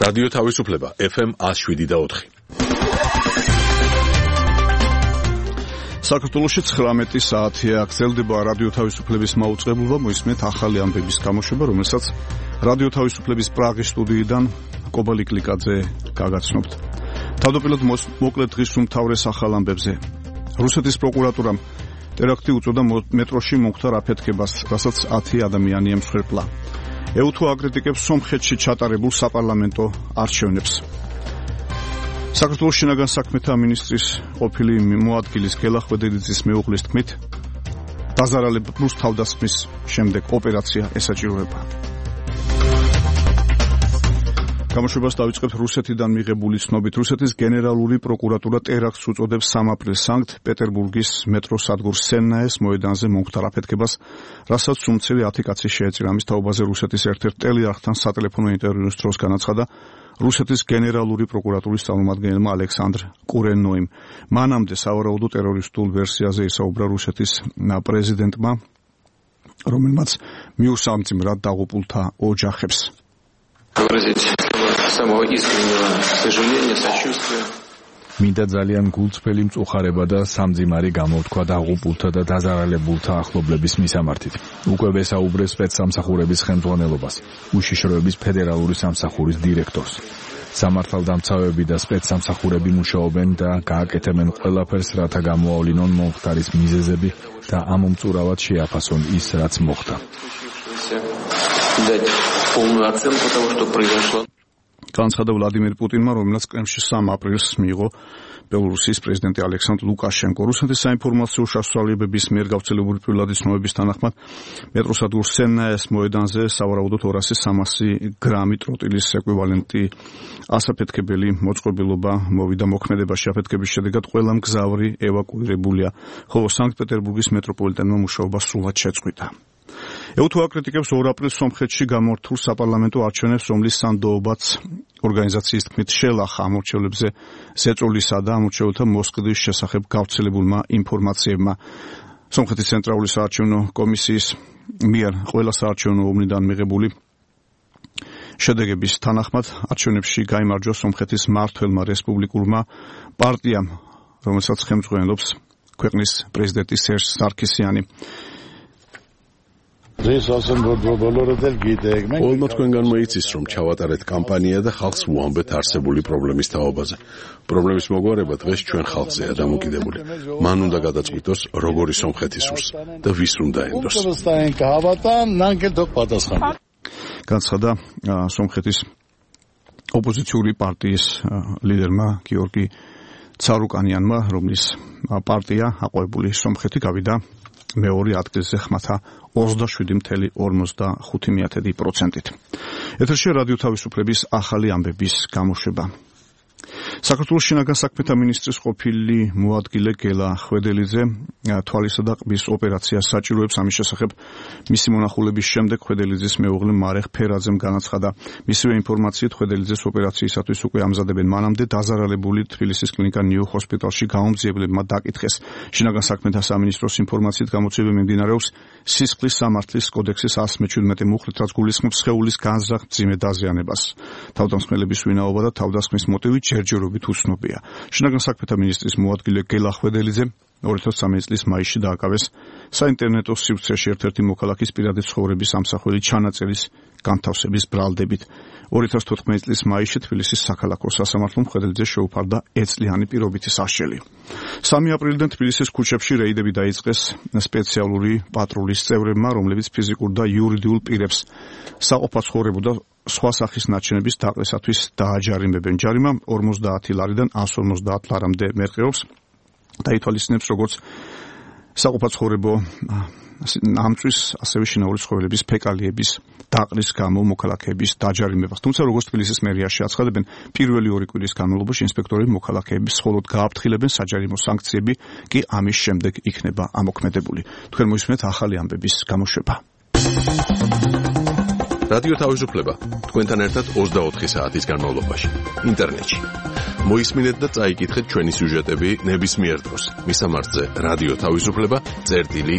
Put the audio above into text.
რადიო თავისუფლება FM 107.4. საქართველოში 19 საათია გრძელდება რადიო თავისუფლების მაუწყებლობა, მოისმენთ ახალი ამბების გამოშვება, რომელსაც რადიო თავისუფლების პრაღის სტუდიიდან კობალი კლიკაძე გაგაცნობთ. თავდაპირველად მოკლედ დღის უმთავრეს ახალ ამბებზე. რუსეთის პროკურატურამ ტერაქტი უწოდა მეტროში მომხდარ აფეთქებას, რასაც 10 ადამიანია მსხვერპლა. EU-თუ აკრიტიკებს სომხეთში ჩატარებულ საპარლამენტო არჩევნებს. საქართველოს შინაგან საქმეთა მინისტრის ყოფილი მოადგილის გელა ხვედელიძის მეუღლის თქმით, დაზარალებულს თავდასხმის შემდეგ ოპერაცია ესაჭიროება. გამოშვებას დავიწყებთ რუსეთიდან მიღებული ცნობით. რუსეთის გენერალური პროკურატურა ტერაქტს უწოდებს 3 აპრილს სანქტ-პეტერბურგის მეტროს სადგურ სენნაეს მოედანზე მომხდარ აფეთქებას, რასაც სუმცერი 10 კაცი შეეწირა. ამის თაობაზე რუსეთის ერთ-ერთ ტელეარხთან სატელეფონო ინტერვიუს დროს განაცხადა რუსეთის გენერალური პროკურატურის წარმომადგენელმა ალექსანდრ კურენოიმ. მანამდე სავარაუდო ტერორისტულ ვერსიაზე ისაუბრა რუსეთის პრეზიდენტმა, რომელმაც მიუსამძიმრად დაღუპულთა ოჯახებს. მინდა ძალიან გულწრფელი მწუხარება და სამძიმარი გამოვთქვა დაღუპულთა და დაზარალებულთა ახლობლების მისამართით. უკვე ვესაუბრე სპეცსამსახურების ხელმძღვანელობას, უშიშროების ფედერალური სამსახურის დირექტორს. სამართალდამცავები და სპეცსამსახურები მუშაობენ და გააკეთებენ ყველაფერს, რათა გამოავლინონ მომხდარის მიზეზები და ამომწურავად შეაფასონ ის, რაც მოხდა. განცხადა ვლადიმერ პუტინმა, რომელსაც კრემლში 3 აპრილს მიიღო ბელორუსიის პრეზიდენტი ალექსანდრ ლუკაშენკო. რუსეთის საინფორმაციო საშუალებების მიერ გავრცელებული პირველადი ცნობების თანახმად მეტროსადგურ სენნაეს მოედანზე სავარაუდოდ 200-300 გრამი ტროტილის ეკვივალენტი ასაფეთქებელი მოწყობილობა მოვიდა მოქმედებაში. აფეთქების შედეგად ყველა მგზავრი ევაკუირებულია, ხოლო სანქტ-პეტერბურგის მეტროპოლიტენმა მუშაობა სრულად შეწყვიტა. EU-თუ აკრიტიკებს 2 აპრილს სომხეთში გამართულ საპარლამენტო არჩევნებს, რომლის სანდოობაც ორგანიზაციის თქმით შელახა ამორჩევლებზე ზეწოლისა და ამორჩევლთა მოსყიდვის შესახებ გავრცელებულმა ინფორმაციებმა. სომხეთის ცენტრალური საარჩევნო კომისიის მიერ ყველა საარჩევნო ომნიდან მიღებული შედეგების თანახმად არჩევნებში გაიმარჯვა სომხეთის მმართველმა რესპუბლიკურმა პარტიამ, რომელსაც ხელმძღვანელობს ქვეყნის პრეზიდენტი სერჟ სარქისიანი. Ყველმა თქვენგან მოიცის, რომ ჩავატარეთ კამპანია და ხალხს ვუამბეთ არსებული პრობლემის თაობაზე. პრობლემის მოგვარება დღეს ჩვენ ხალხზეა დამოკიდებული. მან უნდა გადაწყვიტოს, როგორი სომხეთი სურს და ვის უნდა ენდოს. განცხადა სომხეთის ოპოზიციური პარტიის ლიდერმა გიორგი ცარუკანიანმა, რომლის პარტია აყვავებული სომხეთი გავიდა მეორე ადგილზე ხმათა 27.55%-ით. ეთერში რადიო თავისუფლების ახალი ამბების გამოშვება. საქართველოს შინაგან საქმეთა მინისტრის ყოფილი მოადგილე გელა ხვედელიძე თვალისა და ყბის ოპერაციას საჭიროებს. ამის შესახებ მისი მონახულების შემდეგ ხვედელიძის მეუღლე მარეხ ფერაძემ განაცხადა. მისივე ინფორმაციით ხვედელიძეს ოპერაციისათვის უკვე ამზადებენ. მანამდე დაზარალებული თბილისის კლინიკა ნიუ ჰოსპიტალში გაუმძიებლებმა დაკითხეს. შინაგან საქმეთა სამინისტროს ინფორმაციით გამოძიება მიმდინარეობს სისხლის სამართლის კოდექსის 117 მუხლით, რაც გულისხმობს სხეულის განზრახ მძიმე დაზიანებას. თავდამსხმელების ვინაობა და თავდასხმის მოტივი ჯერჯერობით უცნობია. შინაგან საქმეთა მინისტრის მოადგილე გელა ხვედელიძე 2013 წლის მაისში დააკავეს საინტერნეტო სივრცეში ერთ-ერთი მოქალაქის პირადი ცხოვრების ამსახველი ჩანაწერის განთავსების ბრალდებით. 2014 წლის მაისში თბილისის საქალაქო სასამართლომ ხვედელიძეს შეუფარდა ეწლიანი პირობითი სასჯელი. 3 აპრილიდან თბილისის ქუჩებში რეიდები დაიწყეს სპეციალური პატრულის წევრებმა, რომლებიც ფიზიკურ და იურიდიულ პირებს საყოფაცხოვრებო და სხვა სახის ნარჩენების დაყრისათვის დააჯარიმებენ. ჯარიმა 50 ლარიდან 150 ლარამდე მერყეობს და ითვალისწინებს როგორც საყოფაცხოვრებო ამწვის, ასევე შინაური ცხოველების ფეკალიების დაყრის გამო მოქალაქეების დაჯარიმებას. თუმცა როგორც თბილისის მერიაში აცხადებენ, პირველი 2 კვირის განმავლობაში ინსპექტორები მოქალაქეების მხოლოდ გააფრთხილებენ, საჯარიმო სანქციები კი ამის შემდეგ იქნება ამოქმედებული. თქვენ მოისმენთ ახალი ამბების გამოშვება. რადიო თავისუფლება თქვენთან ერთად 24 საათის განმავლობაში ინტერნეტში. მოისმინეთ და წაიკითხეთ ჩვენი სიუჟეტები ნებისმიერ დროს. მისამართზე რადიო თავისუფლება წერტილი